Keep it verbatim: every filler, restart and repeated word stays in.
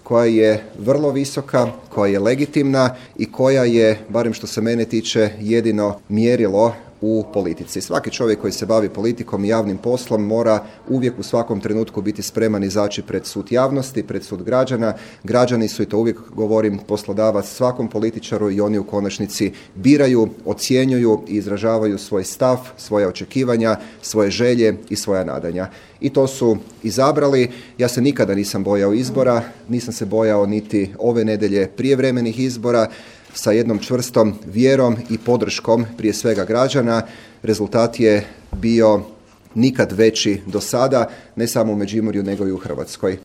koja je vrlo visoka, koja je legitimna i koja je, barem što se mene tiče, jedino mjerilo u politici. Svaki čovjek koji se bavi politikom i javnim poslom mora uvijek u svakom trenutku biti spreman izaći pred sud javnosti, pred sud građana. Građani su, i to uvijek govorim, poslodavac svakom političaru i oni u konačnici biraju, ocjenjuju i izražavaju svoj stav, svoje očekivanja, svoje želje i svoja nadanja. I to su izabrali. Ja se nikada nisam bojao izbora, nisam se bojao niti ove nedjelje prijevremenih izbora, sa jednom čvrstom vjerom i podrškom prije svega građana. Rezultat je bio nikad veći do sada, ne samo u Međimurju nego i u Hrvatskoj.